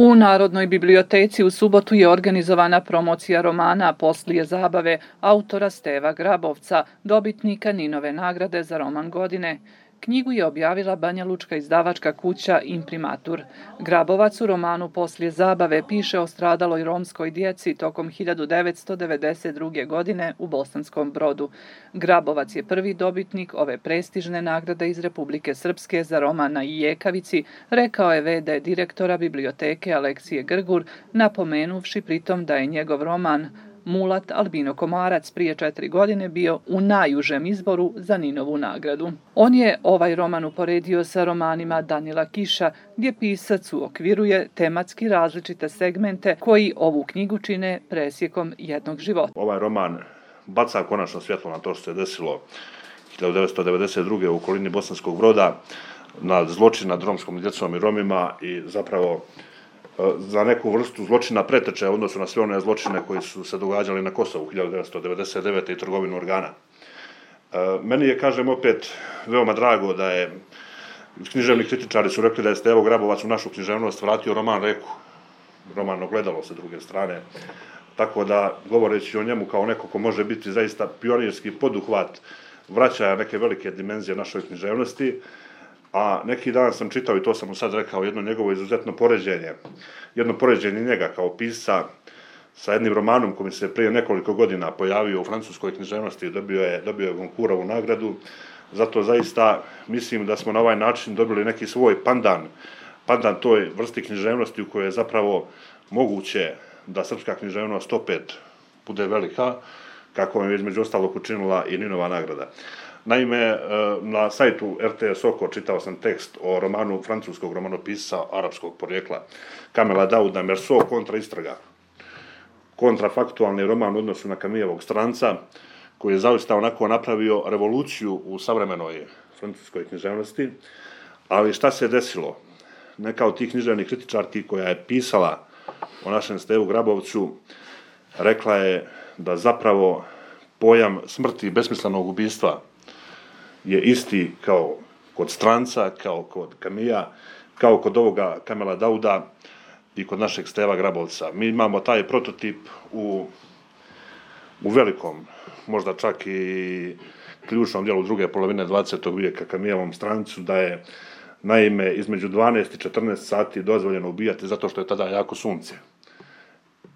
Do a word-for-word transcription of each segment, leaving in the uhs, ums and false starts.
U Narodnoj biblioteci u subotu je organizovana promocija romana Poslije zabave autora Steva Grabovca, dobitnika Ninove nagrade za roman godine. Knjigu je objavila banjalučka izdavačka kuća Imprimatur. Grabovac u romanu Poslije zabave piše o stradaloj romskoj djeci tokom hiljadu devetsto devedeset druge. godine u Bosanskom Brodu. Grabovac je prvi dobitnik ove prestižne nagrade iz Republike Srpske za roman na ijekavici, rekao je ve de direktora biblioteke Aleksije Grgur, napomenuvši pritom da je njegov roman Mulat Albino Komarac prije četiri godine bio u najužem izboru za Ninovu nagradu. On je ovaj roman uporedio sa romanima Danila Kiša, gdje pisac uokviruje tematski različite segmente koji ovu knjigu čine presjekom jednog života. Ovaj roman baca konačno svjetlo na to što se desilo hiljadu devetsto devedeset druge. u okolini Bosanskog Broda, na zločin nad romskom djecom i Romima i zapravo za neku vrstu zločina preteče u odnosu na sve one zločine koji su se događali na Kosovu hiljadu devetsto devedeset devete. i trgovinu organa. Meni je, kažem opet, veoma drago da je, književni kritičari su rekli da je Stevo Grabovac u našu književnost vratio roman Reku, roman Ogledalo sa druge strane, tako da, govoreći o njemu kao neko ko može biti zaista pionirski poduhvat vraćaja neke velike dimenzije našoj književnosti. A neki dan sam čitao, i to sam mu sad rekao, jedno njegovo izuzetno poređenje, jedno poređenje njega kao pisca sa jednim romanom koji se prije nekoliko godina pojavio u francuskoj književnosti i dobio je, dobio je Goncourtovu nagradu. Zato zaista mislim da smo na ovaj način dobili neki svoj pandan, pandan toj vrsti književnosti u kojoj je zapravo moguće da srpska književnost opet bude velika, kako je između ostalog učinila i Ninova nagrada. Naime, na sajtu er te es Oko čitao sam tekst o romanu francuskog romanopisca arapskog porijekla Kamela Dauda Merso kontra istraga. Kontrafaktualni roman u odnosu na Camillovog Stranca, koji je zaista onako napravio revoluciju u savremenoj francuskoj književnosti. Ali šta se desilo? Neka od tih književnih kritičarki koja je pisala o našem Stevu Grabovcu rekla je da zapravo pojam smrti i besmislenog ubistva je isti kao kod Stranca, kao kod Camilla, kao kod ovoga Kamela Dauda i kod našeg Steva Grabovca. Mi imamo taj prototip u, u velikom, možda čak i ključnom dijelu druge polovine dvadesetog vijeka Camillovom Strancu, da je naime između dvanaest i četrnaest sati dozvoljeno ubijati zato što je tada jako sunce.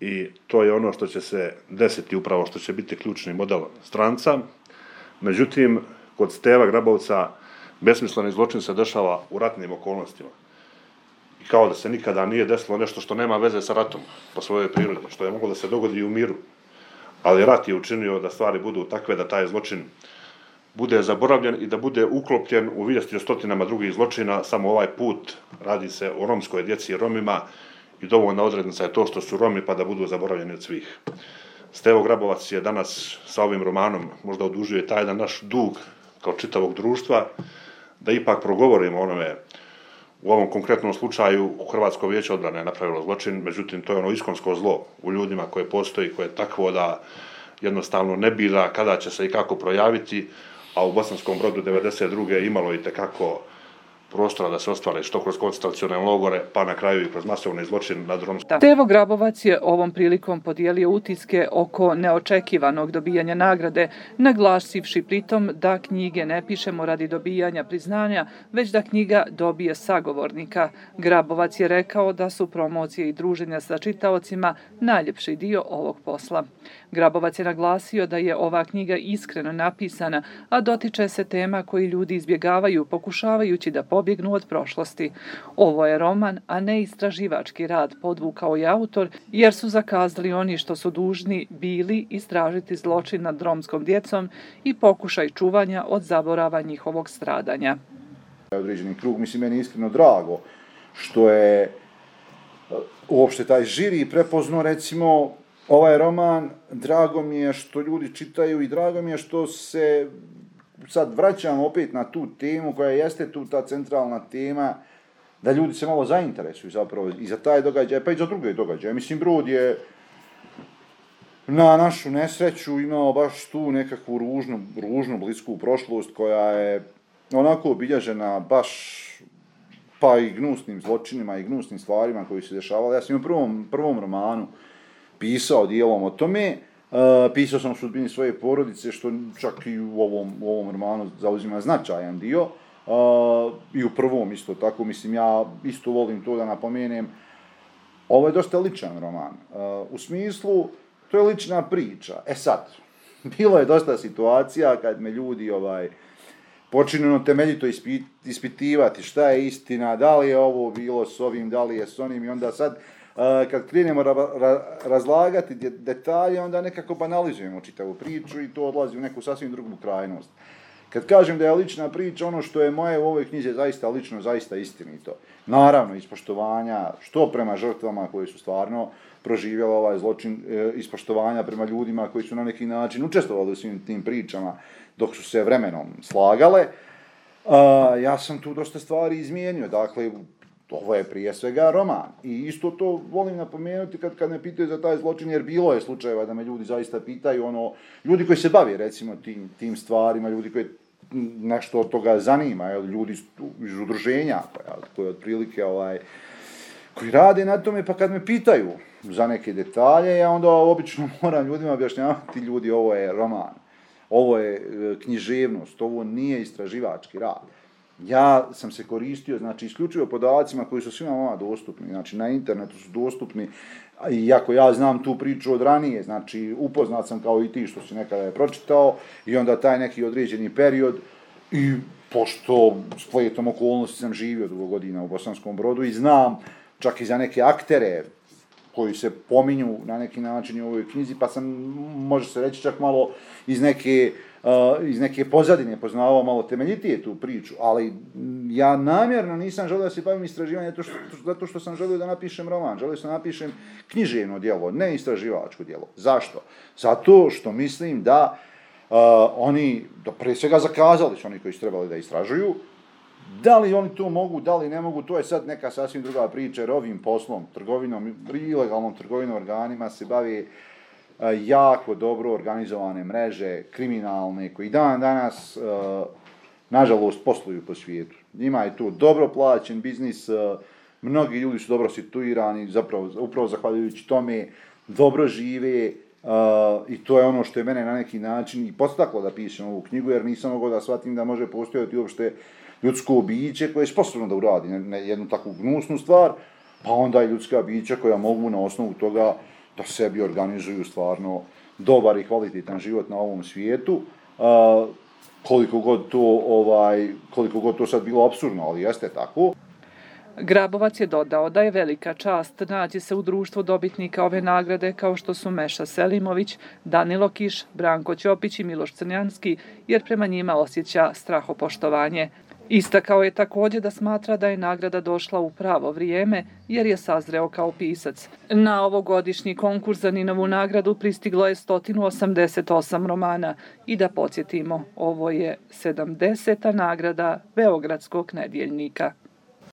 I to je ono što će se desiti, upravo što će biti ključni model Stranca. Međutim, kod Steva Grabovca besmisleni zločin se dešava u ratnim okolnostima. I kao da se nikada nije desilo nešto što nema veze sa ratom po svojoj prirodi, što je moglo da se dogodi i u miru. Ali rat je učinio da stvari budu takve da taj zločin bude zaboravljen i da bude uklopljen u vijesti o stotinama drugih zločina. Samo ovaj put radi se o romskoj djeci i Romima i dovoljna odrednica je to što su Romi pa da budu zaboravljeni od svih. Stevo Grabovac je danas sa ovim romanom možda odužio taj jedan naš dug kao čitavog društva, da ipak progovorimo onome. U ovom konkretnom slučaju Hrvatsko vijeće odbrane je napravilo zločin, međutim to je ono iskonsko zlo u ljudima koje postoji, koje je takvo da jednostavno ne bira kada će se i kako projaviti, a u Bosanskom Brodu devedeset druge imalo i tekako prostora da se ostvare što kroz koncentracione logore, pa na kraju i kroz masovni zločin nad romskom. Stevo Grabovac je ovom prilikom podijelio utiske oko neočekivanog dobijanja nagrade, naglasivši pritom da knjige ne pišemo radi dobijanja priznanja, već da knjiga dobije sagovornika. Grabovac je rekao da su promocije i druženja sa čitaocima najljepši dio ovog posla. Grabovac je naglasio da je ova knjiga iskreno napisana, a dotiče se tema koji ljudi izbjegavaju, pokušavajući da pobjegnu od prošlosti. Ovo je roman, a ne istraživački rad, podvukao je autor, jer su zakazali oni što su dužni bili istražiti zločin nad romskom djecom i pokušaj čuvanja od zaborava njihovog stradanja. Određeni krug, mislim, meni je iskreno drago što je uopšte taj žiri prepoznao, recimo, ovaj roman. Drago mi je što ljudi čitaju i drago mi je što se sad vraćamo opet na tu temu koja jeste tu ta centralna tema, da ljudi se malo zainteresuju zapravo i za taj događaj, pa i za druge događaje. Mislim, Brod je na našu nesreću imao baš tu nekakvu ružnu, ružnu blisku prošlost koja je onako obilježena baš pa i gnusnim zločinima i gnusnim stvarima koji se dešavali. Ja sam u prvom, prvom romanu pisao dijelom o tome, uh, pisao sam o sudbini svoje porodice, što čak i u ovom, u ovom romanu zauzima značajan dio, uh, i u prvom isto tako, mislim, ja isto volim to da napomenem. Ovo je dosta ličan roman, uh, u smislu, to je lična priča. E sad, bilo je dosta situacija kad me ljudi ovaj, počinjeno temeljito ispit, ispitivati šta je istina, da li je ovo bilo s ovim, da li je s onim, i onda sad uh, kad krenemo ra, ra, razlagati detalje, onda nekako banalizujemo čitavu priču i to odlazi u neku sasvim drugu krajnost. Kad kažem da je lična priča, ono što je moje u ovoj knjizi zaista lično, zaista istinito. Naravno, ispoštovanja, što prema žrtvama koji su stvarno proživjeli ovaj zločin, e, ispoštovanja prema ljudima koji su na neki način učestvovali u svim tim pričama dok su se vremenom slagale. A, ja sam tu dosta stvari izmijenio, dakle, ovo je prije svega roman. I isto to volim napomenuti kad, kad me pitaju za taj zločin, jer bilo je slučajeva da me ljudi zaista pitaju, ono, ljudi koji se bave recimo tim, tim stvarima, ljudi koji nešto od toga zanima, jel, ljudi iz udruženja, jel, koji otprilike ovaj, koji rade na tome, pa kad me pitaju za neke detalje, ja onda obično moram ljudima objašnjavati, ljudi, ovo je roman, ovo je književnost, ovo nije istraživački rad. Ja sam se koristio, znači, isključivo podacima koji su svima vama dostupni, znači, na internetu su dostupni, iako ja znam tu priču od ranije, znači, upoznat sam kao i ti što si nekada je pročitao, i onda taj neki određeni period, i pošto spletom okolnosti sam živio dugo godina u Bosanskom Brodu i znam čak i za neke aktere koji se pominju na neki način u ovoj knjizi, pa sam, može se reći, čak malo iz neke, uh, iz neke pozadine poznavao malo temeljitije tu priču, ali ja namjerno nisam želio da se bavim istraživanjem zato što, zato što sam želio da napišem roman, želio sam da napišem književno djelo, ne istraživačko djelo. Zašto? Zato što mislim da uh, oni, da pre svega zakazali su oni koji su trebali da istražuju, da li oni to mogu, da li ne mogu, to je sad neka sasvim druga priča, jer ovim poslom, trgovinom, ilegalnom trgovinom organima se bavi uh, jako dobro organizovane mreže, kriminalne, koji dan danas, uh, nažalost, posluju po svijetu. Njima je to dobro plaćen biznis, uh, mnogi ljudi su dobro situirani, zapravo, upravo zahvaljujući tome, dobro žive, uh, i to je ono što je mene na neki način i podstaklo da pišem ovu knjigu, jer nisam mogao da shvatim da može postojati uopšte ljudsko biće koje je sposobno da uradi na jednu takvu gnusnu stvar, pa onda i ljudska bića koja mogu na osnovu toga da sebi organizuju stvarno dobar i kvalitetan život na ovom svijetu. Uh, koliko god to, ovaj, koliko god to sad bilo apsurdno, ali jeste tako. Grabovac je dodao da je velika čast naći se u društvu dobitnika ove nagrade kao što su Meša Selimović, Danilo Kiš, Branko Ćopić i Miloš Crnjanski, jer prema njima osjeća strahopoštovanje. Istakao je također da smatra da je nagrada došla u pravo vrijeme jer je sazreo kao pisac. Na ovogodišnji konkurs za Ninovu nagradu pristiglo je sto osamdeset osam romana i da podsjetimo, ovo je sedamdeseta nagrada Beogradskog nedjeljnika.